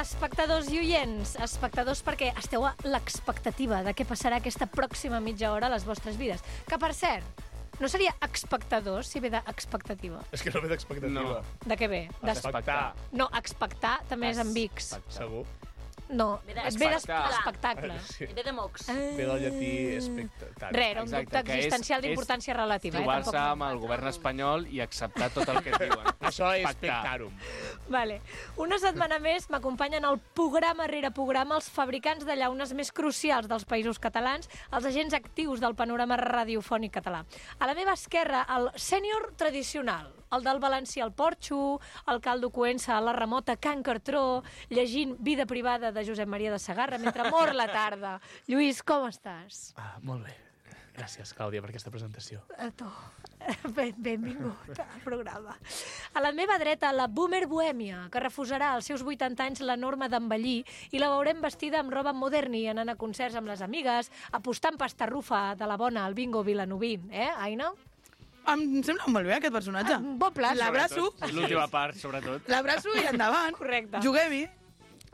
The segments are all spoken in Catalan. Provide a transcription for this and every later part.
espectadors i oients. Espectadors perquè esteu a l'expectativa de què passarà aquesta pròxima mitja hora a les vostres vides. Que, per cert, no seria expectadors si ve d'expectativa. És que no ve d'expectativa. No. De què ve? Expectar. No, expectar també és amb X. Segur. No, Ve ve d'espectacle. d'espectacle. Sí. Ve de mocs. Ve del llatí expectar. Res, era un Exacte, dubte que és- existencial és d'importància relativa. Trobar-se amb el govern espanyol i acceptar tot el que et diuen. Això és Pactar. spectarum. Vale. Una setmana més m'acompanyen al programa rere programa els fabricants de llaunes més crucials dels països catalans, els agents actius del panorama radiofònic català. A la meva esquerra, el sènior tradicional, el del valencià al Porxo, el caldo coença a la remota Can Cartró, llegint Vida privada de Josep Maria de Segarra mentre mor la tarda. Lluís, com estàs? Molt bé. Gràcies, Clàudia, per aquesta presentació. A tu. Benvingut al programa. A la meva dreta, la boomer bohèmia, que refusarà als seus 80 anys la norma d'envellir i la veurem vestida amb roba moderni, anant a concerts amb les amigues, apostant pasta rufa de la bona al bingo vilanoví. Aina? Em sembla molt bé, aquest personatge. Bon pla. L'abraço, L'última part, sobretot. l'abraço i endavant. Correcte. Juguem-hi.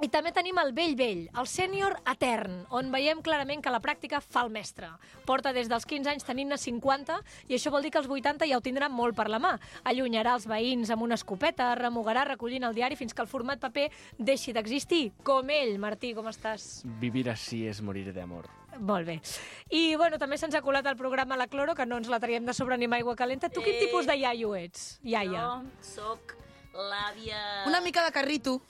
I també tenim el vell, el sènior etern, on veiem clarament que la pràctica fa el mestre. Porta des dels 15 anys tenint-ne 50 i això vol dir que als 80 ja ho tindrà molt per la mà. Allunyarà els veïns amb una escopeta, remugarà recollint el diari fins que el format paper deixi d'existir. Com ell. Martí, com estàs? Vivir així és morir d'amor. Molt bé. I, bueno, també se'ns ha colat al programa La Cloro, que no ens la traiem de sobre ni amb aigua calenta. Tu quin tipus de iaio ets? Iaia. Jo soc l'àvia... Una mica de carrito.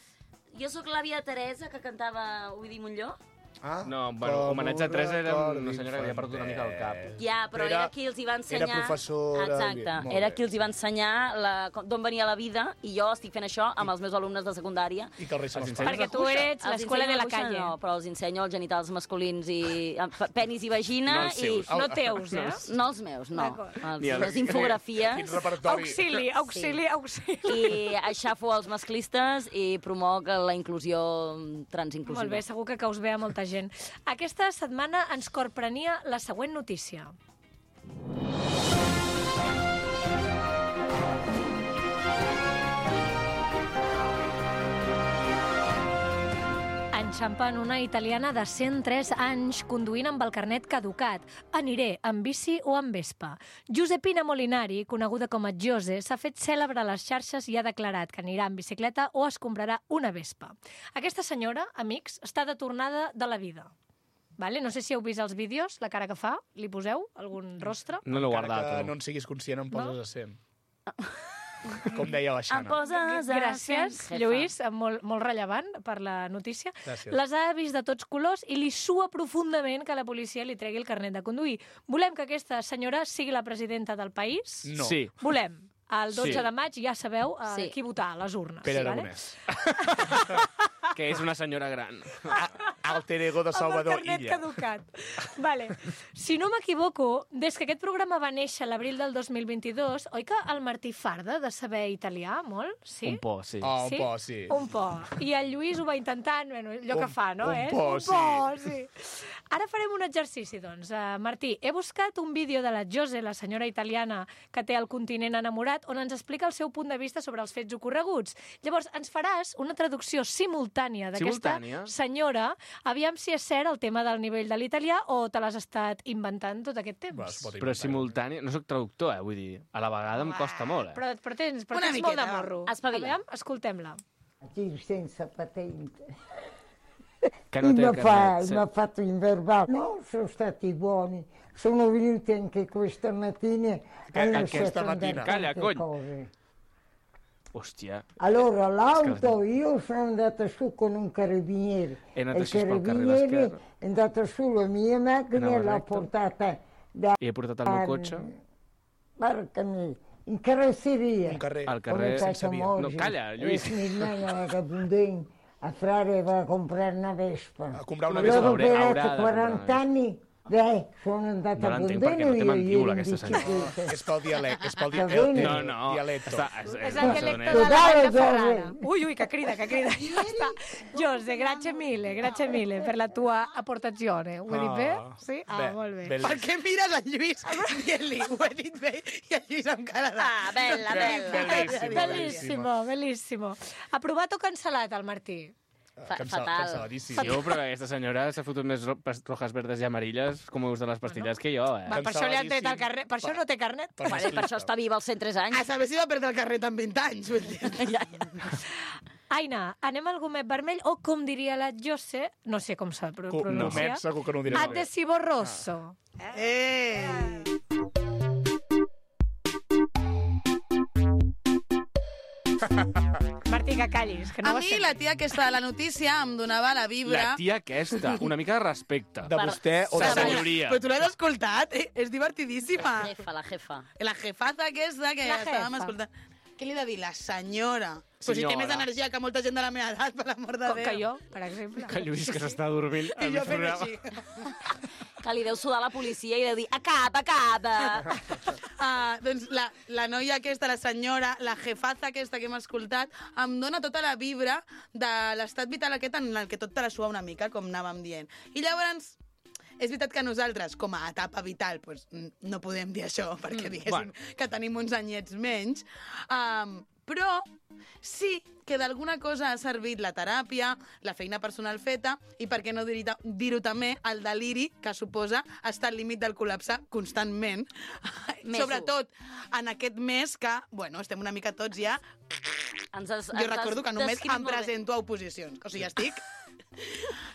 Jo sóc l'àvia Teresa, que cantava Ovidi Montllor. Ah, No, bueno, homenatge a Teresa era una senyora que havia perdut una mica el cap. Ja, però era qui els hi va ensenyar... Era professora... Exacte, Molt era bé. qui els hi va ensenyar d'on venia la vida, i jo estic fent això amb els meus alumnes de secundària. I que el rei se Els l'espanya. Perquè tu eres Els l'escola de ensenyo la cuixa, calle. No, però els ensenyo els genitals masculins i penis i vagina. No els seus. No teus, No els meus, no. D'acord. Ni els- Les infografies. Quin repertori. Auxili. I aixafo els masclistes i promoc la inclusió transinclusiva. Molt bé, segur que us ve a molta gent. Aquesta setmana ens corprenia la següent notícia. Enxampen una italiana de 103 anys conduint amb el carnet caducat. Aniré amb bici o amb Vespa. Giuseppina Molinari, coneguda com a Jose, s'ha fet cèlebre a les xarxes i ha declarat que anirà en bicicleta o es comprarà una Vespa. Aquesta senyora, amics, està de tornada de la vida. Vale? No sé si heu vist els vídeos, la cara que fa. Li poseu algun rostre? No l'he Encara guardat, que tu. no en siguis conscient, em poses a 100. Com deia la Em Xana. poses a Gràcies, cent, jefa. Lluís, molt rellevant per la notícia. Gràcies. Les ha vist de tots colors i li sua profundament que la policia li tregui el carnet de conduir. Volem que aquesta senyora sigui la presidenta del país? No. Sí. Volem. El 12 Sí. de maig ja sabeu Sí. qui votar a les urnes. Pere vale? Aragonès. Que és una senyora gran. Alter ego de Amb el Salvador carnet Illa. caducat. Vale. Si no m'equivoco, des que aquest programa va néixer a l'abril del 2022, oi que el Martí farda de saber italià, molt? Sí? Un por, sí. Oh, un po, sí. Un po. I el Lluís ho va intentant, bueno, allò que fa, no? un po, sí. Ara farem un exercici, doncs. Martí, he buscat un vídeo de la Jose, la senyora italiana que té el continent enamorat, on ens explica el seu punt de vista sobre els fets ocorreguts. Llavors, ens faràs una traducció simultània d'aquesta Simultània? senyora. Aviam si és cert el tema del nivell de l'italià o te l'has estat inventant tot aquest temps. Va, es pot Però inventar. simultània... No sóc traductor, vull dir, a la vegada em costa molt, Però eh? tens Una molt de miqueta. morro. Espavila. Aviam, escoltem-la. Io senza patente. Que no té mi el carnet. ha fatto in verbale. No, sono stati buoni. Sono venuti anche questa mattina. Hanno questa fatto andare mattina? Calla, tante cogli. cose. Hòstia. Allora l'auto, io sono andata su con un carabiniere. È andato il su pel carril carabiniere esquerre. è andato sulla mia macchina e Andava l'ha retto. portata da... I he portat el meu cotxe Porca mia, in carrozzeria. Un carrer. al Come carrer... facciamo No, oggi? calla, Lluís. Smilnana vagabundin a Frare va a comprare una Vespa. A comprar una Loro Vespa. per haurà de 40 comprar. anni, sono andata No a l'entenc Bondeno perquè no té io mandíbula, ieri in aquesta senyora. bicicletta. És pel dialecte. És pel Va bene. No, no. Dialecto. És el dialecte de la Dai, Vall de dai. Ferrara. Ui, que crida. Ja està. Jose, grazie mille per la tua aportazione. Ho he dit bé? Sí? Bé, Molt bé. bel- Per què mires el Lluís dient-li, ho he dit bé, i el Lluís amb cara de... Ah, bella, bella. Bellíssim. Bellissimo. Aprovat o cancel·lat, el Martí? Fatal. Canceladíssim. Sí, però aquesta senyora s'ha fotut més rojas, verdes i amarilles com us de les pastilles que jo, Va, per això li han tret el carnet. Per això no té carnet. Vale, per això està viva als 103 anys. A saber si va perdre el carnet amb 20 anys. Vull dir. Aina, anem al gomet vermell, o com diria la Jose, no sé com s'ha de pronunciar. Gomet, segur que no ho diré. Adhesivo rosso. Martí, que callis, que no A ho mi, estem... la tia aquesta de la notícia em donava la vibra... La tia aquesta, una mica de respecte. De vostè o de senyoria. Però tu l'has escoltat? És divertidíssima. La jefa. La jefaza aquesta que La estàvem jefa. escoltant. Què li he de dir? La senyora. Però si té Senyora. més energia que molta gent de la meva edat, per l'amor de Com Déu. que jo, per exemple. Que Lluís, que s'està dormint I al jo mig fent programa. així. Que li deu sudar la policia i deu dir acaba. Doncs la noia aquesta, la senyora, la jefaza aquesta que hem escoltat, em dona tota la vibra de l'estat vital aquest en el que tot te la sua una mica, com anàvem dient. I llavors, és veritat que nosaltres, com a etapa vital, doncs, no podem dir això, perquè diguéssim que tenim uns anyets menys, però sí que d'alguna cosa ha servit la teràpia, la feina personal feta, i per què no dir-ho també, el deliri que suposa estar al límit del col·lapse constantment. Sobretot en aquest mes que, bueno, estem una mica tots ja... Jo recordo que només em presento a oposicions. O sigui, estic...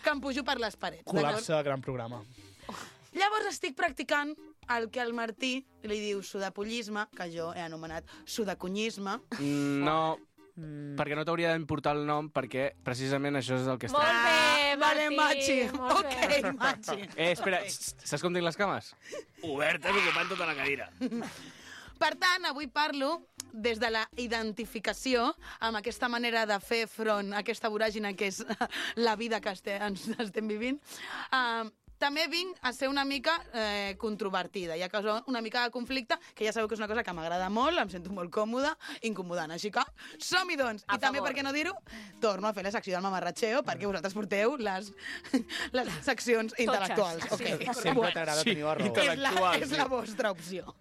que em pujo per les parets. Col·lapse, gran programa. Llavors estic practicant el que el Martí li diu sudapollisme, que jo he anomenat sudacunyisme. No, perquè no t'hauria d'importar el nom, perquè precisament això és el que està... Molt bé, Vale, Martí, Machi. molt bé. Ok, Machi. Espera, saps com tinc les cames? Obertes, ocupant tota la cadira. Per tant, avui parlo des de la identificació amb aquesta manera de fer front a aquesta voràgina que és la vida que ens estem vivint. També vinc a ser una mica controvertida i a causar una mica de conflicte, que ja sabeu que és una cosa que m'agrada molt, em sento molt còmoda, incomodant. Així que som-hi, doncs. I també, per què no dir-ho, torno a fer la secció del mamarratxeo, perquè vosaltres porteu les seccions intel·lectuals. Okay. Sempre t'agrada tenir la raó. És la vostra opció.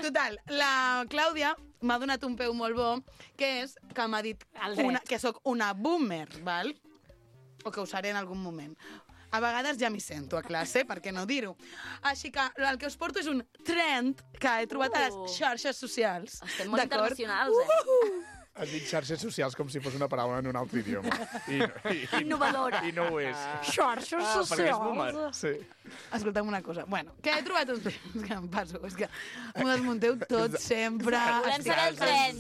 Total, la Clàudia m'ha donat un peu molt bo, que és que m'ha dit que sóc una boomer, val? O que ho seré en algun moment. A vegades ja m'hi sento a classe, per què no dir-ho? Així que el que us porto és un trend que he trobat a les xarxes socials. Estem molt internacionals, Has dit xarxes socials com si fos una paraula en un altre idioma. Innovadora. I no ho és. Xarxes perquè és socials. boomer. Sí. Escolta'm una cosa. Bueno, que he trobat un... És que em passo, és que m'ho desmunteu tot sempre. Volem saber el tren.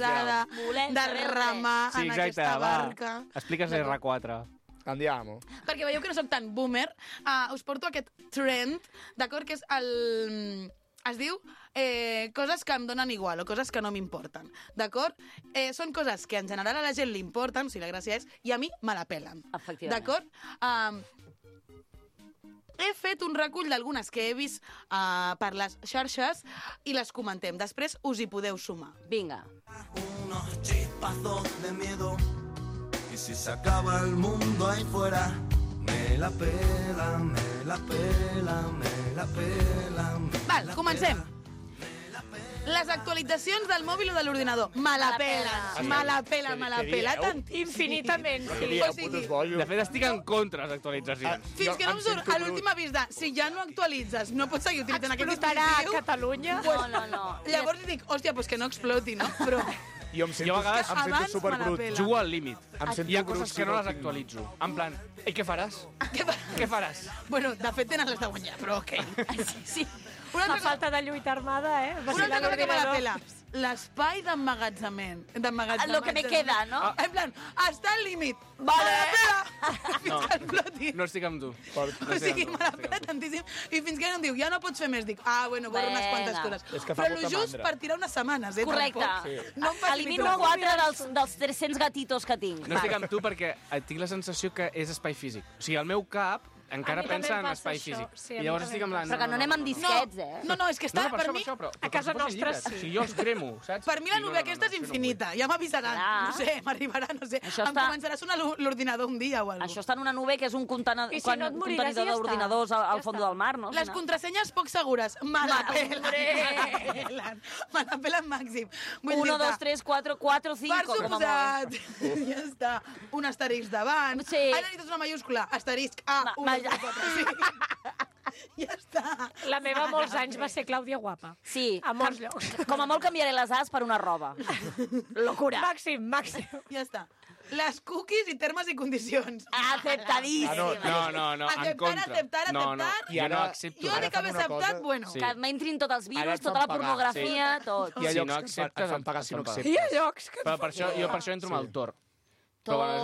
Volem de saber el tren. remar Sí, en exacte, aquesta va. barca. Explica'ns R4. Andiamo. Perquè veieu que no soc tan boomer, us porto aquest trend, d'acord, que és el... Es diu coses que em donen igual o coses que no m'importen, d'acord? Són coses que en general a la gent li importen, si la gràcia és, i a mi me la pelen. Efectivament. D'acord? He fet un recull d'algunes que he vist per les xarxes i les comentem. Després us hi podeu sumar. Vinga. Unos chispazos de miedo y si se acaba el mundo ahí fuera me la pela, me la pela, me la pela, me Val, la comencem. pela. Les actualitzacions del mòbil o de l'ordinador. Me la pela, me la pela, me la pela tant. Infinitament, Què sí. dieu, O sigui, putos bojos? De fet, estic en contra de les actualitzacions. Fins que no em em surt sento a l'últim avís de si ja no actualitzes, no pots seguir utilitzant aquest Explotarà a dispositiu. Catalunya. No. Llavors dic, hòstia, doncs que no exploti, no? Però Jo em sento, Jo a vegades em sento abans me la superbrut. pela. Jugo al límit. Em sento Hi ha brut coses si que no no les tinc- actualitzo. En plan, i què faràs? Què faràs? bueno, de fet tenen les de guanyar, però ok. Sí. Una La altra, falta de lluita armada, una altra cosa que me la pela. L'espai d'emmagatzement. Lo que me queda, no? En plan, està al límit. Vale. Me la pela. Fins No. que exploti. No estic amb tu. O sigui, me la pela tantíssim. I fins que no em diu, ja no pots fer més. Dic, bueno, borro unes quantes Vinga. coses. És que fa Però molta lo just mandra. per tirar unes setmanes, Correcte. Tampoc. No em faci Elimino mirar. 4 dels 300 gatitos que tinc. No estic amb tu perquè tinc la sensació que és espai físic. O sigui, el meu cap encara A mi també pensa en em passa espai això. físic. Sí, a I mi llavors també estic amb em la... passa. Però que no anem amb disquets, No, és que està, per per això, mi... però a casa com si fossin nostra llibres. sí. O sigui, jo els cremo, saps? Per mi la Sí, nube aquesta és això no infinita. Ja m'avisaran. Clar. No sé, m'arribarà, no sé. Això Em està- començarà a sonar l'ordinador un dia o alguna Això està en una nube que és un I si no et moriràs, ja contenidor d'ordinadors està. al Ja fons està. del mar, no? Les contrasenyes poc segures. Me la pelen. Me la pelen màxim. 1, 2, 3, 4, 4, 5, Per com a molt. suposat. Ja està. Un asterisc davant. Sí. Ara necessites una mayúscula. Asterisc A, 1, 2, 3, 4, 5. Ja està. La meva molts anys va ser Clàudia Guapa. Sí. A molts llocs. Com a molt canviaré les A's per una roba. Locura. Màxim. Ja està. Les cookies i termes i condicions. Aceptadíssim. No, en Acceptar, contra. acceptar. No, I jo ara- no accepto. Jo de que fan m'he una acceptat, cosa- bueno. Sí. Que m'entrin tots els Ara virus, et tota fan la pagar, pornografia, tot. Hi ha Si llocs no que acceptes, et fan pagar si no et fan pagar. acceptes. Hi ha llocs que... Però jo per això entro amb el Tor. Però bueno, és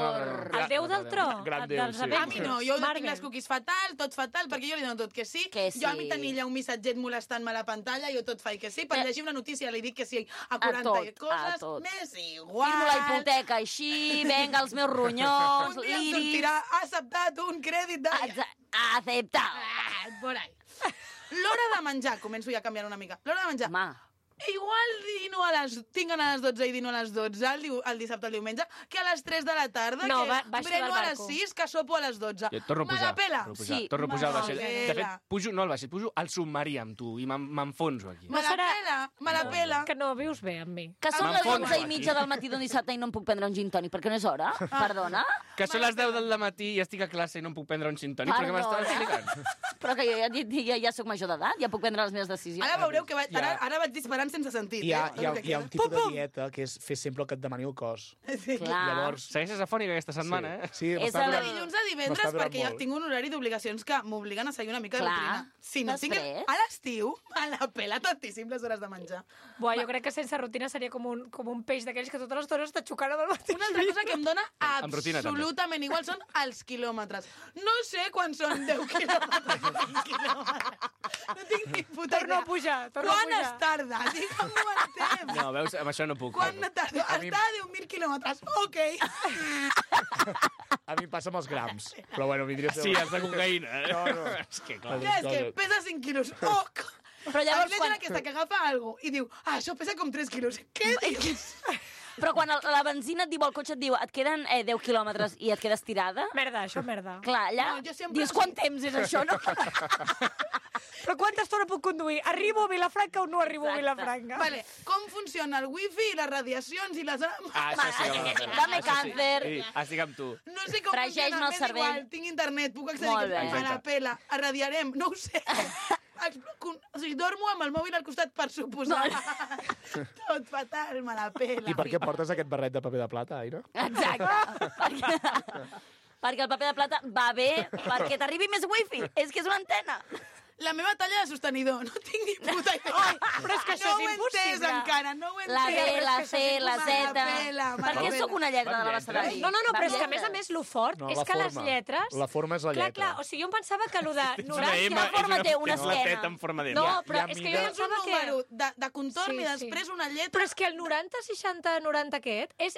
una- El déu del tro, Gran déu, dels sí. A mi Avengers. no, jo Marvel. tinc les cookies fatal, tot fatal, perquè jo li dono tot que sí. Que sí. Jo a mi tenir un missatget molestant-me a la pantalla, jo tot faig que sí. Per llegir una notícia li dic que sí a 40 tot, coses, a tot. m'és igual. Firmo la hipoteca així, venga els meus ronyons, Un dia em liris... sortirà acceptat un crèdit de... Acceptar. Por ahí. L'hora de menjar, començo ja a canviar una mica. L'hora de menjar. Home, Igual dino tinc a les 12 i dino a les 12 el dissabte o el diumenge que a les 3 de la tarda, No, que baixo breno del a les barco. 6, que sopo a les 12. Jo torno a pujar. Me la pela. Sí, Torno a pujar al vaixell. me la De pela. fet, pujo, no al vaixell, pujo al submarí amb tu i m'enfonso aquí. Me la serà- pela, me la pela. Que no vius bé amb mi. que són les M'enfonso 11:30 del matí d'un dissabte i no em puc prendre un gin tònic, perquè no és hora? Perdona? Que són les 10 del matí i estic a classe i no em puc prendre un gin tònic perquè m'estàs explicant. Però que jo ja sóc major d'edat, ja puc prendre les meves decisions. Ara veureu que ara vaig disparant sense sentit. Hi ha un Pum, tipus de pum. dieta que és fer sempre el que et demani el cos. Sí. Clar. Llavors, Segueixes afònica aquesta setmana, eh? Sí, És m'està el- De durant- dilluns a divendres, m'està durant perquè ja molt. tinc un horari d'obligacions que m'obliguen a seguir una mica de Clar. rutina. Si no tinc... Després. A l'estiu, a la pela tantíssim les hores de menjar. Buah, jo crec que sense rutina seria com un peix d'aquells que tota l'estona està xocant amb el mateix. Una altra cosa que em dona Amb rutina, també. absolutament igual són els quilòmetres. No sé quan són 10 quilòmetres. 20 quilòmetres. No tinc ni puta Torno a idea. pujar, Quan es tarda? Digue'm-ho en temps. No, veus, amb això no puc. Quan tarda? Està a 10.000 quilòmetres. Ok. A mi em passa amb els grams. Però bueno, vindria a ser... Sí, els de cocaïna. No. És que clar. Ja, és que pesa 5 quilos. Ok. Però llavors, Aquí la gent quan, aquesta que agafa alguna i diu, això pesa com 3 quilos. Què dius? però quan la benzina et diu, el cotxe et diu, et queden 10 quilòmetres i et quedes tirada, Merda, això merda. clar, allà No, jo sempre- dius quant temps és això, no? Però quanta estona puc conduir? Arribo a Vilafranca o no arribo a Exacte. Vilafranca? Vale, com funciona el wifi i les radiacions i les... Ah, això sí que m'ha fet. Dame càncer. Sí, estic amb tu. No sé com Fregeix-me funciona, el m'és cervell. igual, tinc internet, puc accedir... Molt bé. A la pela, irradiarem, no ho sé. O sigui, dormo amb el mòbil al costat, per suposar. Tot fatal, me la pela. I per què portes aquest barret de paper de plata, Aina? Exacte. perquè el paper de plata va bé perquè t'arribi més wifi. És que és una antena. La meva talla de sostenidor, no tinc ni puta idea. però és que això no és ho he entès impossible. encara, no ho he entès. La B, la C, la Z... Me la pela, me Per la què pela. sóc una lletra de la Van Bastardi? No, però és que a més lo fort No, és la que les forma. lletres... La forma és la lletra. Clar, o sigui, jo em pensava que lo de 90... M, Quina forma té una és una esquena? teta en forma de... No, Hi però ha és que jo mida- És un pensava que... número de contorn Sí, i després una lletra. Però és que el 90, 60, 90 aquest és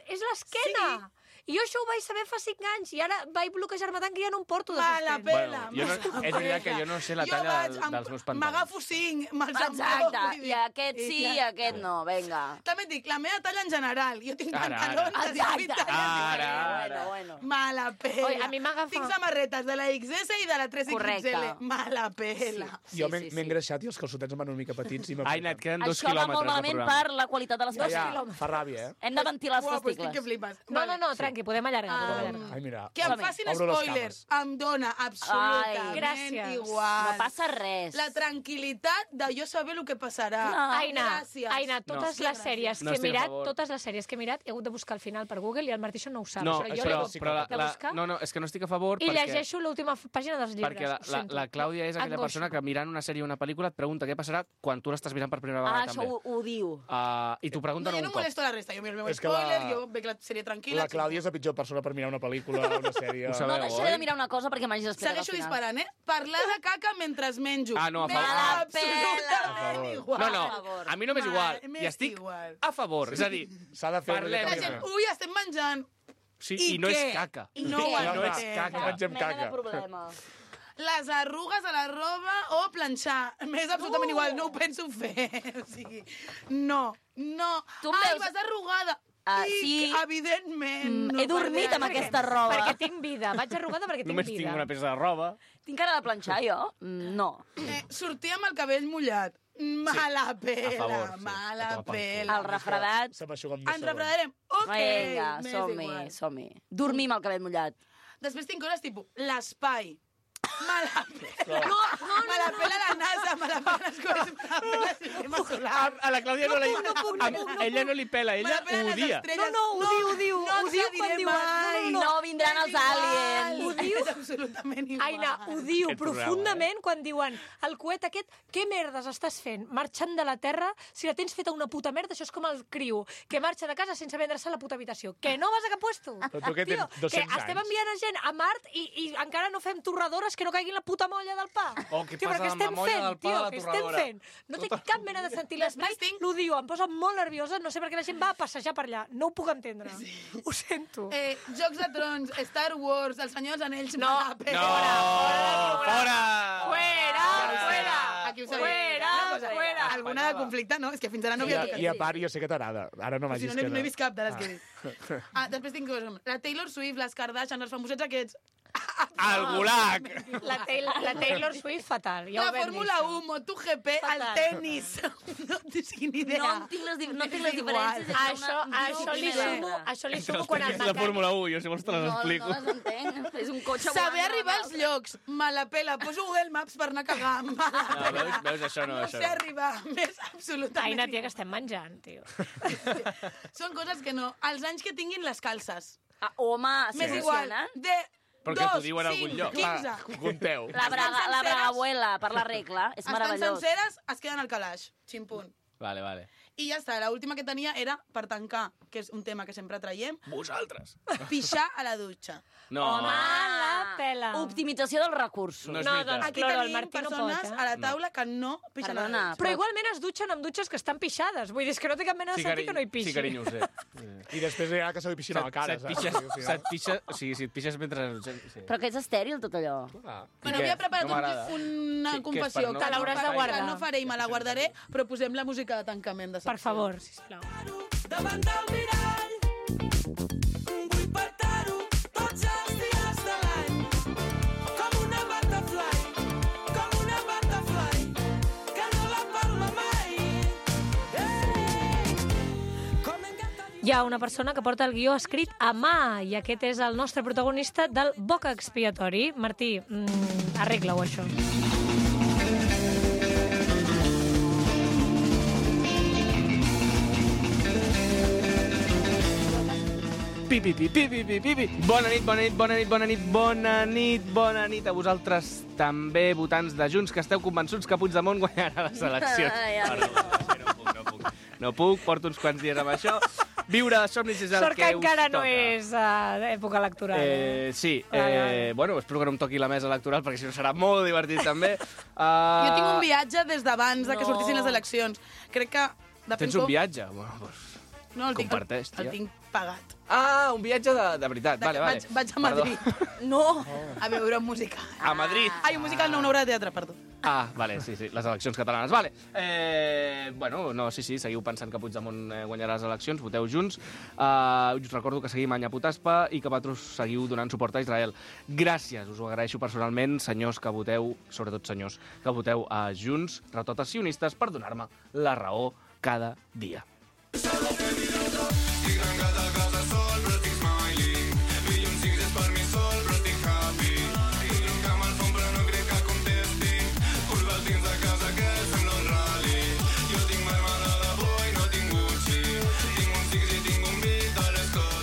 l'esquena. I jo això ho vaig saber fa 5 anys i ara vaig bloquejar-me tant que ja no em porto de Me la sostén. pela. Bueno, és veritat que jo no sé la talla dels meus pantalons. M'agafo 5, me'ls Exacte. emporto, I aquest sí, i aquest no. Vinga. També et dic, la meva talla en general. Jo tinc Ara, pantalons ara. de 18 Exacte. Ara. Bueno. Me la pela. Oi, a mi m'agafa- Tinc samarretes de la XS i de la 3XL. Correcte. Me la pela. Jo m'he engreixat i els calçotets em van una mica petits i Aina, et queden 2 Això va molt quilòmetres de malament programa. per la qualitat de les Ja, coses. fa ràbia, eh? Hem de ventilar els Uau, però estic que testicles. flipes. No, tranqui, podem allargar. Ai, mira. Que em Som-hi. facin Obro les spoilers em dona absolutament Ai, gràcies. igual. No passa res. La tranquil·litat de jo saber el que passarà. No. Aina, totes No. les sèries No que he estic a mirat, favor. totes les sèries que he mirat, he hagut de buscar al final per Google i el Martí això no ho sap. No, però jo però, l'he hagut però de buscar no, és que no estic a favor i perquè... llegeixo l'última pàgina dels llibres. Perquè ho sento. la Clàudia és aquella Angoixa. persona que mirant una sèrie o una pel·lícula et pregunta què passarà quan tu l'estàs mirant per primera vegada Ah, això també. ho diu. I t'ho No, pregunten jo un no cop. molesto la resta, jo miro el meu És que spoiler, la- jo veig la sèrie tranquil·la. La Clàudia és la pitjor persona per mirar una pel·lícula o una sèrie. Ho No, sabeu, deixaré de mirar una cosa perquè m'hagis explicat al Segueixo final. disparant, eh? Parlar de caca mentre menjo. Ah, no, a M'és favor. absolutament igual. No, A favor. a mi no m'és igual. M'és I estic igual. a favor. És a dir, S'ha de fer... Parlem. La gent, ui, estem menjant. Sí, I i no què? és caca. I no ho No és entenc. caca. Mengem Mena de caca. problema. Les arrugues a la roba o planxar. M'és absolutament igual, no ho penso fer. O sigui, no. Tu em Ai, veus- vas arrugada. Sí. Evidentment. He dormit amb aquesta roba. Perquè tinc vida. Vaig arrugada perquè tinc Només vida. tinc una peça de roba. Tinc cara de planxar, jo? No. Sortir amb el cabell mullat. Mala pela, a favor, sí. mala A tomar pel pela. El refredat... Se m'aixuga amb més Ens refredarem. Ok, Vinga, m'és som-hi, igual. som-hi. Dormir amb el cabell mullat. Després tinc coses tipus l'espai. Me la pela. Me la pela la NASA, me la pela les coses, me la pela el sistema solar. A la Clàudia ella no li pela, Me ella la pela ho les odia. estrelles. No, ho diu. No Ho ens diu la quan diré diuen... mai. No vindran els aliens. Ho diu? És absolutament igual. Aina, ho diu Aquest programa, profundament quan diuen el coet aquest, què merdes estàs fent? Marxant de la Terra? Si la tens feta una puta merda, això és com el criu, que marxa de casa sense vendre-se a la puta habitació. Que no vas a cap puesto? Però tu què Tio, tens, 200 que estem anys? enviant a gent a Mart i encara no fem torradores que no caiguin la puta molla del pa. Oh, què Tio, passa però què amb la estem molla fent, del pa tio? de la Què estem torradora? fent? No té cap mena de sentit. L'espai, l'odio, em posa molt nerviosa, no sé per què la gent va a passejar per allà. No ho puc entendre. Ho sento. Jocs de Trons, Star Wars, El Senyor dels Anells, No, me la pela. Fora! Fuera! Aquí ho sabia. Fuera! Una cosa, Fuera! Alguna de conflicte, no? És que fins ara no havia tocat. I a part, jo sé que t'agrada. Ara no O m'hagis sigui, no, que no he vist cap de les que he dit. Després tinc coses com la Taylor Swift, les Kardashian, els famosets aquests. Al gulag! La Taylor Swift fatal. Ja La ho vam Fórmula dir, 1, MotoGP, el Fatal. tennis. No tinc ni idea. No tinc les diferències entre Això li sumo quan el És la Fórmula 1, jo si vols te les explico. No les entenc. És un cotxe Saber volant arribar als llocs. Me la pela. Poso Google Maps per anar a cagar. Me la pela. Veus, això no, No això sé no. arribar. M'és absolutament Aina, tia, igual. que estem menjant, tio. Són coses que no. Els anys que tinguin les calces. Ah, home, M'és igual. De Però que t'ho 2, diu en algun 5, lloc. 15. Compteu. La senceres. bragabuela, per la regla. És Estan meravellós. senceres, es queden al calaix. Ximpunt. Vale. I ja està, l'última que tenia era per tancar, que és un tema que sempre traiem, Vosaltres. pixar a la dutxa. No. Home, la pela. Optimització dels recursos. No és No, veritat. doncs, Aquí Cloro, el tenim Martí no persones pot, a la taula que no pixen a la Perdona, dutxa. Però igualment es dutxen amb dutxes que estan pixades. Vull dir, és que no té cap mena de sentit que no hi pixi. Sí, carinyo, ho sé. I després hi ha que se li pixin a la cara, Se't pixes, o sigui, si et pixes mentre... Sí. Però que és estèril, tot allò. Ah. Bueno, què? havia preparat No m'agrada. una Què és confessió per no- Te l'hauràs de guardar. que no faré i me la guardaré, però posem la música de tancament de secció. Per favor, sisplau. davant del mirall. Vull petar-ho tots els dies de l'any. Com una butterfly, que no la palma mai. Com m'encanta dir... Hi ha una persona que porta el guió escrit a mà i aquest és el nostre protagonista del boca expiatori. Martí, arregla-ho, això. Pipi. Bona nit a vosaltres també, votants de Junts, que esteu convençuts que Puigdemont guanyarà les eleccions. Ai, No puc, porto uns quants dies amb això. Viure de somnis és el Sort que que us encara no toca. és època electoral. Sí, Vale. bueno, espero que no em toqui la mesa electoral, perquè si no serà molt divertit també. Jo tinc un viatge des d'abans de que No. sortissin les eleccions. Crec que... depèn Tens un com- viatge? Bueno, doncs... No, el tinc, comparteix, tia. el tinc pagat. Ah, un viatge de veritat, vale. Vaig a Madrid. No! A veure un musical. A Madrid. Ai, un musical no, una obra de teatre, perdó. Ah, vale, sí, les eleccions catalanes, vale. Bueno, no, sí, seguiu pensant que Puigdemont guanyarà les eleccions, voteu Junts. Us recordo que seguim Anya Potaspa i que vosaltres seguiu donant suport a Israel. Gràcies, us ho agraeixo personalment, senyors que voteu, sobretot senyors, que voteu a Junts, retotes sionistes, per donar-me la raó cada dia.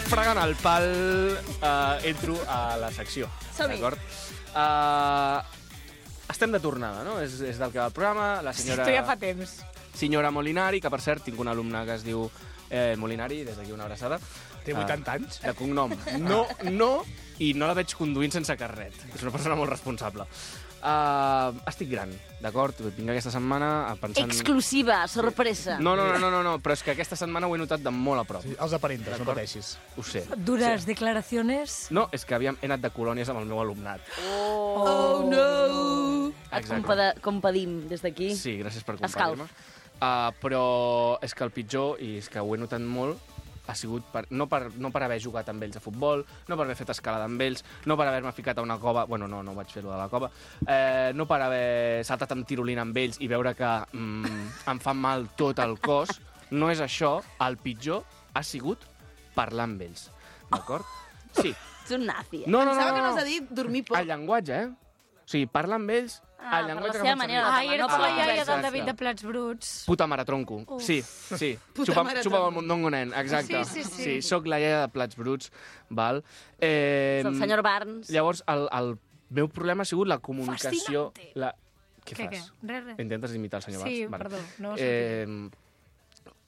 Fregant el pal, entro a la secció, Som-hi. d'acord? Estem de tornada, no? És del que va el programa, la senyora... Esto ja fa temps. Senyora Molinari, que per cert tinc una alumna que es diu Molinari, des d'aquí una abraçada. Té 80 anys? De cognom. No, i no la veig conduint sense carnet. És una persona molt responsable. Estic gran, d'acord? Vinc aquesta setmana pensant... Exclusiva, sorpresa. No, però és que aquesta setmana ho he notat de molt a prop. Sí, els aparentes, no pateixis. Ho sé. Dures declaraciones. No, és que he anat de colònies amb el meu alumnat. Oh, no! Et compadim des d'aquí. Sí, gràcies per Escalf. compartir-me. Però és que el pitjor, i és que ho he notat molt, ha sigut no per haver jugat amb ells a futbol, no per haver fet escalada amb ells, no per haver-me ficat a una cova, bueno, no vaig fer-ho de la cova, no per haver saltat amb tirolina amb ells i veure que em fa mal tot el cos. No és això, el pitjor ha sigut parlar amb ells, d'acord? Sí. Ets un nazi. No. Pensava que no has de dir dormir poc. El llenguatge, O sigui, parlar amb ells... Per la seva manera de Ai, era no com la parlar iaia amb del ells. David de Plats Bruts. Puta mare, tronco. Sí. Puta mare, Xupa tronco. el mondongo, nen, exacte. Sí. Soc la iaia de Plats Bruts, val? És el senyor Barnes. Llavors, el meu problema ha sigut la comunicació... Què Què? fas? Res. Intentes imitar el senyor Sí, Barnes? perdó, no ho sé.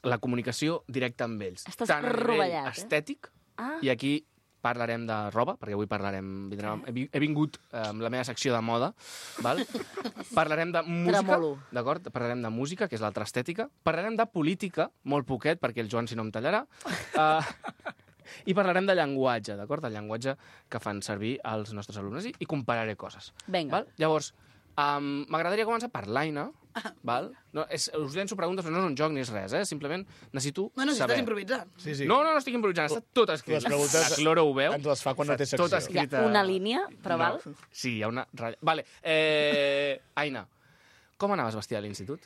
La comunicació directa amb ells. Estàs tant a nivell rovellat, estètic, Ah. i aquí parlarem de roba, perquè avui he vingut amb la meva secció de moda, val? Parlarem de música, Tremolo. d'acord? Parlarem de música, que és l'altra estètica. Parlarem de política, molt poquet, perquè el Joan si no em tallarà. I parlarem de llenguatge, d'acord? El llenguatge que fan servir els nostres alumnes i compararé coses. Vinga. Val? Llavors, m'agradaria començar per l'Aina, val? No, us llenço preguntes, però no és un joc ni és res, simplement necessito Bueno, si saber. estàs improvisant. Sí. No estic improvisant, està tot escrit. Les preguntes La Cloro ho veu. ens les fa quan no té secció. Tot Hi escrit. ha una línia, però val? Sí, hi ha una ratlla. Vale. Aina, com anaves vestida a l'institut?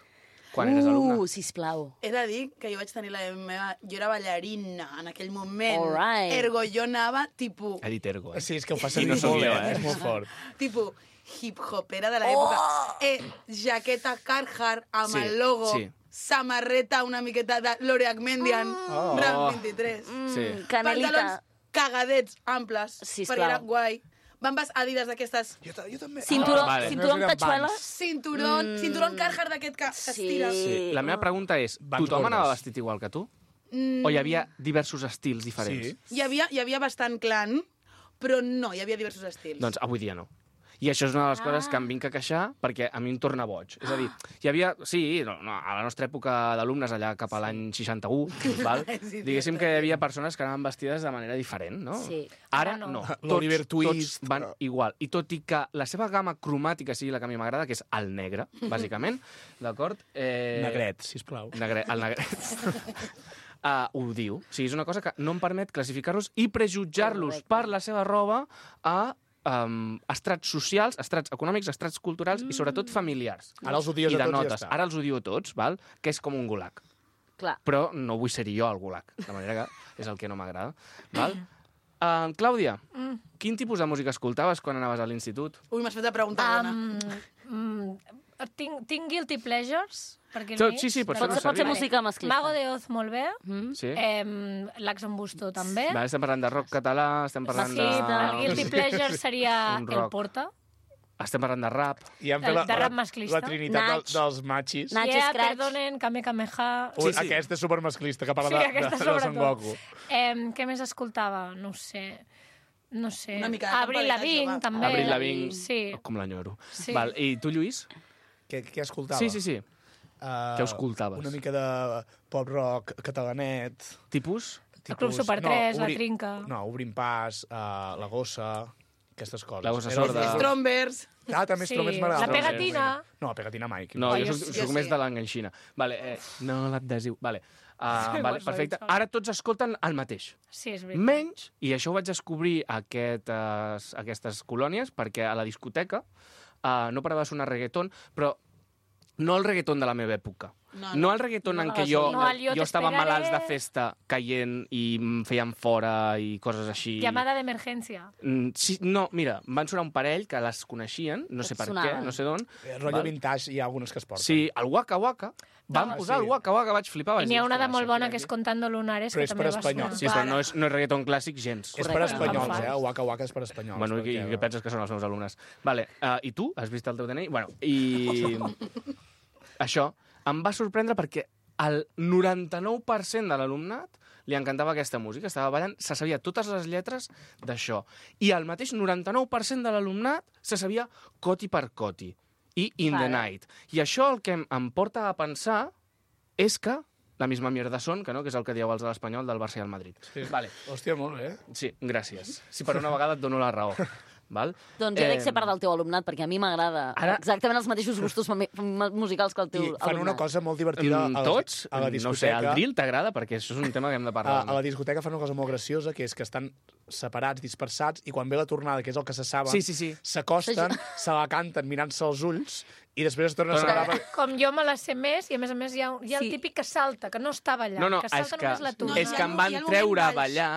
Quan eres alumna? Sisplau. He de dir que jo vaig tenir la meva... Jo era ballarina en aquell moment. Alright. Ergo, jo anava, tipus... He dit ergo, Sí, és que ho fa I servir no sóc molt, jo, És molt fort. Tipus hip-hopera de l'època. Jaqueta Carhartt amb Sí, el logo. sí. Samarreta una miqueta de Lore Agmendian. Ram 23. Sí. Canelita. Pantalons cagadets amples. Sisplau. Perquè era guai. Bambes Adidas d'aquestes. Jo també. Cinturó vale. cinturó amb tatxueles? Cinturón Carhartt d'aquest que s'estira. Sí. La meva pregunta és, Vans tothom gordes. anava vestit igual que tu? O hi havia diversos estils diferents? Sí. Hi havia bastant clan, però no, hi havia diversos estils. Doncs avui dia no. I això és una de les coses que em vinc a queixar perquè a mi em torna boig. És a dir, hi havia... Sí, a la nostra època d'alumnes, allà cap a l'any 61, val? Sí, Diguéssim que hi havia persones que anaven vestides de manera diferent, no? Sí. Ara Ara no. no. L'Oliver Twist, Tots van igual. I tot i que la seva gamma cromàtica sigui la que a mi m'agrada, que és el negre, bàsicament, d'acord? Negret, sisplau. El negret. Ho diu. O sigui, és una cosa que no em permet classificar-los i prejutjar-los Correcte. per la seva roba a estrats socials, estrats econòmics, estrats culturals i sobretot familiars. Ara els odies I a de tots i ja notes. està. Ara els odio a tots, val? Que és com un gulag. Clar. Però no vull ser jo el gulag, de manera que és el que no m'agrada. Val? Clàudia, quin tipus de música escoltaves quan anaves a l'institut? Ui, m'has fet la pregunta bona. Tinc guilty pleasures, perquè Sí, pots fer-ho Pot ser servir. música masclista. Mago de Oz, molt bé. Sí? L'Ax en Busto, també. Vale, estem parlant de rock català, estem parlant Sí, de... el guilty pleasure seria Un El rock. Porta. Estem parlant de rap. I hem fet De rap masclista. la trinitat Nach. dels machis. Nach. Yeah, Scratch. perdonen, Kame Kameha. Ui, Sí. Aquest és supermasclista, que parla Sí, de aquesta Son sobretot. Goku. Què més escoltava? No sé. Una mica de Avril temporalitat Lavigne, jove. també. Avril Lavigne. Sí. Com l'enyoro. Sí. Val, i tu, Lluís? Què escoltava? Sí. Què escoltaves? Una mica de pop-rock catalanet. Tipus? El Club Super 3, La Obri- Trinca. No, Obrim Pas, La Gossa, aquestes coses. La Gossa Era els Sorda. meus- Strombers. També Sí, Strombers m'agrada. La Pegatina. No, Pegatina mai. No, Oh, jo jo soc sí. més de l'enganxina. Vale, no l'adhesiu. Vale. Vale, igual, perfecte. igual. Ara tots escolten el mateix. Sí, és veritat. Menys, i això ho vaig descobrir a aquestes colònies, perquè a la discoteca no parava de sonar reggaeton, però no el reggaeton de la meva època. No el reggaeton en què jo Yo te estava esperaré. malalts de festa caient i em feien fora i coses així. Llamada d'emergència. Sí, no, mira, em van sonar un parell que les coneixien, no sé Et per sonaven. què, no sé d'on. Rotllo Val? vintage, hi ha algunes que es porten. Sí, el Waka Waka. Van No, posar sí. el Waka Waka, vaig flipar. I Vaig n'hi ha dir, una de "Ostres, molt això bona aquí". que és Contando Lunares, Però que és també per va espanyol. sonar. Sí, però no és reggaeton clàssic gens. És per Correcte. espanyols, Em fas. Waka Waka és per espanyols. Bueno, i perquè- què penses que són els meus alumnes? Vale, i tu? Has vist el teu DNI? Bueno, i... Això em va sorprendre perquè el 99% de l'alumnat li encantava aquesta música, estava ballant, se sabia totes les lletres d'això. I el mateix 99% de l'alumnat se sabia coti per coti. I In the Night. I això el que em porta a pensar és que la misma mierda són, que no? Que és el que dieu els de l'Espanyol del Barça i el Madrid. Sí. Vale. Hòstia, molt bé. Sí, gràcies. Si per una vegada et dono la raó. Val? Doncs jo dec ser part del teu alumnat, perquè a mi m'agrada exactament els mateixos gustos musicals que el teu alumnat. I fan una cosa molt divertida tots? A la discoteca. No sé, el drill t'agrada? Perquè això és un tema que hem de parlar. A la discoteca fan una cosa molt graciosa, que és que estan separats, dispersats, i quan ve la tornada, que és el que se saben, s'acosten, se la canten mirant-se als ulls, i després es tornen a separar. Com jo me la sé més, i a més hi ha el típic que salta, que no està ballant, que salta només la tonada. És que em van treure a ballar,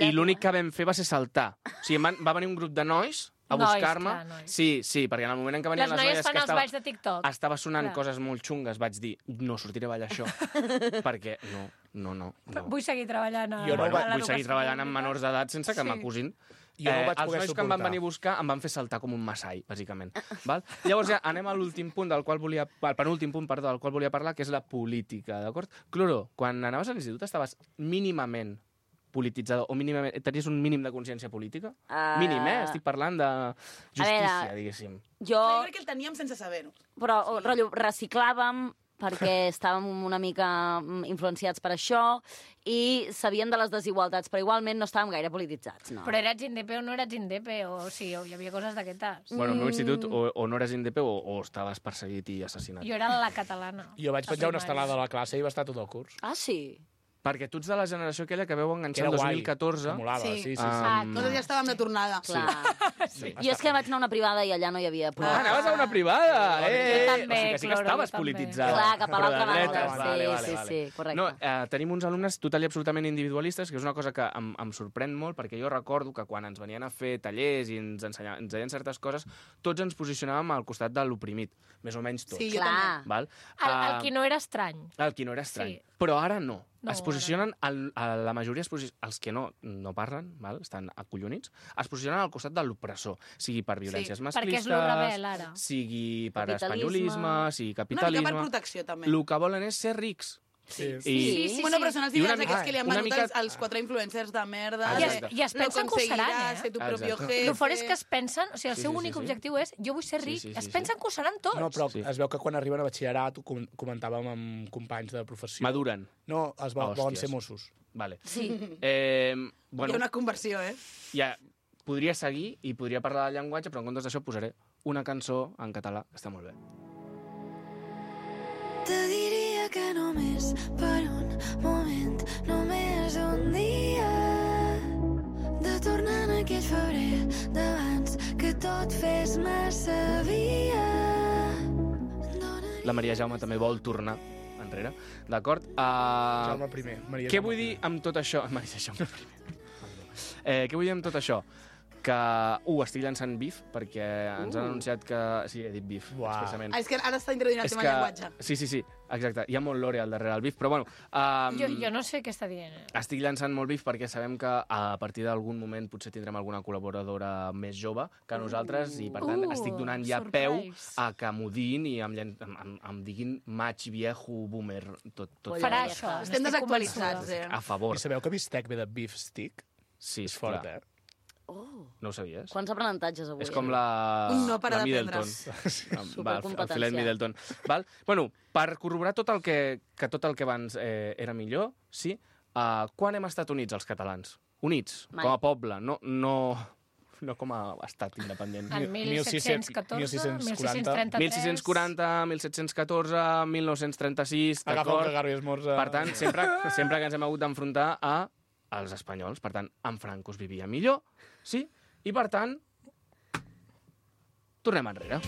i l'únic que vam fer va ser saltar. O sigui, va venir un grup de nois a buscar-me. Sí, perquè en el moment en què venien les noies fan els balls de TikTok. Estava sonant coses molt xungues, vaig dir, no sortiré a ballar això, perquè no. Vull seguir treballant. Vull seguir treballant amb menors d'edat sense que m'acusin. Els nois que em van venir a buscar em van fer saltar com un massai, bàsicament. Llavors ja anem a l'últim punt al penúltim punt, del qual volia parlar, que és la política, d'acord? Cloro, quan anaves a l'institut estaves mínimament polititzador, o mínimament, tenies un mínim de consciència política? Mínim, estic parlant de justícia, diguéssim. Jo crec que el teníem sense saber-ho. Però, rotllo, reciclàvem perquè estàvem una mica influenciats per això i sabíem de les desigualtats, però igualment no estàvem gaire polititzats, no. Però eres indepe o no eres indepe, o sí, hi havia coses d'aquestes. Bueno, al meu institut o no eres indepe o estaves perseguit i assassinat. Jo era la catalana. Jo vaig penjar una estelada a la classe i va estar tot el curs. Ah, sí? Perquè tu ets de la generació aquella que veu enganxar el 2014. Que molava, sí. Nosaltres ja estàvem de tornada. Jo és que vaig anar a una privada i allà no hi havia... Anaves a una privada! Jo també, o sigui que sí que estaves polititzada. Clar, cap a l'altra banda. Sí, correcte. No, tenim uns alumnes total i absolutament individualistes, que és una cosa que em sorprèn molt, perquè jo recordo que quan ens venien a fer tallers i ens deien certes coses, tots ens posicionàvem al costat de l'oprimit, més o menys tots. Sí, clar. El qui no era estrany. El qui no era estrany. Però ara no. Es posicionen, la majoria, els que no parlen, estan acollonits, es posicionen al costat de l'opressor, sigui per violències masclistes, sigui per espanyolisme, sigui capitalisme... Una mica per protecció, també. El que volen és ser rics. Sí. Bueno, però són els ideals aquests que li han venut els 4 influencers de merda. I es pensen que ho seran, ser tu propio jefe. El fort és que es pensen, o sigui, el seu únic objectiu és jo vull ser ric. Es pensen que ho seran tots. No, però es veu que quan arriben a batxillerat, comentàvem amb companys de professió... Maduren. No, es volen ser Mossos. Vale. Sí. Hi ha una conversió, Ja, podria seguir i podria parlar del llenguatge, però en comptes d'això posaré una cançó en català, que està molt bé. Te diria que només per un moment, només un dia, de tornar en aquell febrer d'abans que tot fes massa via. La Maria Jaume també vol tornar enrere, d'acord? Jaume primer. Què vull dir amb tot això? Maria Jaume primer. Què vull dir amb tot això? Que, estic llançant bif, perquè ens han anunciat que... Sí, he dit bif, expressament. És que ara està introduint el tema llenguatge. Sí, exacte. Hi ha molt lore al darrere del bif, però bueno... Jo no sé què està dient. Estic llançant molt bif perquè sabem que a partir d'algun moment potser tindrem alguna col·laboradora més jove que nosaltres, i per tant estic donant ja peu a que m'ho diguin i em diguin maig, viejo, boomer, tot. Farà això. Estem desactualitzats, A favor. I sabeu que bistec ve de beef stick? Sí, és fort, No ho sabies? Quants aprenentatges avui? És com la Middleton. El filet Middleton. Bueno, per corroborar tot el que abans era millor, sí, quan hem estat units els catalans? Units, com a poble, no com a estat independent. En 1714, 1633... 1640, 1714, 1936... Agafa el cagarro i esmorza... Per tant, sempre que ens hem hagut d'enfrontar als espanyols. Per tant, en Franco es vivia millor, sí? I, per tant, tornem enrere.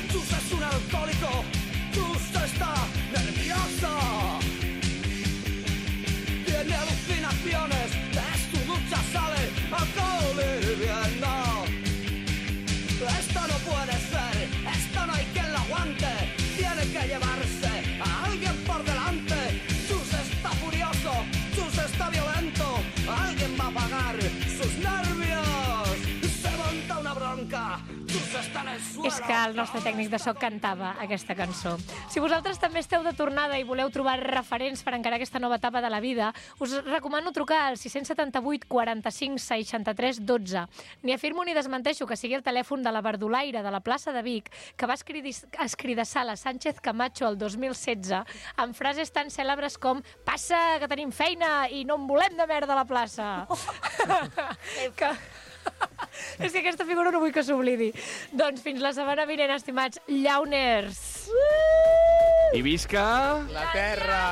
Tus es un alcohólico, tus está nervioso. Tiene alucinaciones, de su ducha sale alcohol hirviendo. Esto no puede ser, esto no hay quien lo aguante. Tiene que llevarse a alguien por delante. Chus está furioso, Chus está violento. Alguien va a pagar sus és que el nostre tècnic de so cantava aquesta cançó. Si vosaltres també esteu de tornada i voleu trobar referents per encarar aquesta nova etapa de la vida, us recomano trucar al 678 45 63 12. Ni afirmo ni desmenteixo que sigui el telèfon de la verdulaire de la plaça de Vic que va escridassar la Sánchez Camacho el 2016 amb frases tan cèlebres com «Passa, que tenim feina i no en volem de merda a la plaça». És que aquesta figura no vull que s'oblidi. Doncs fins la setmana vinent, estimats llauners. I visca... La terra!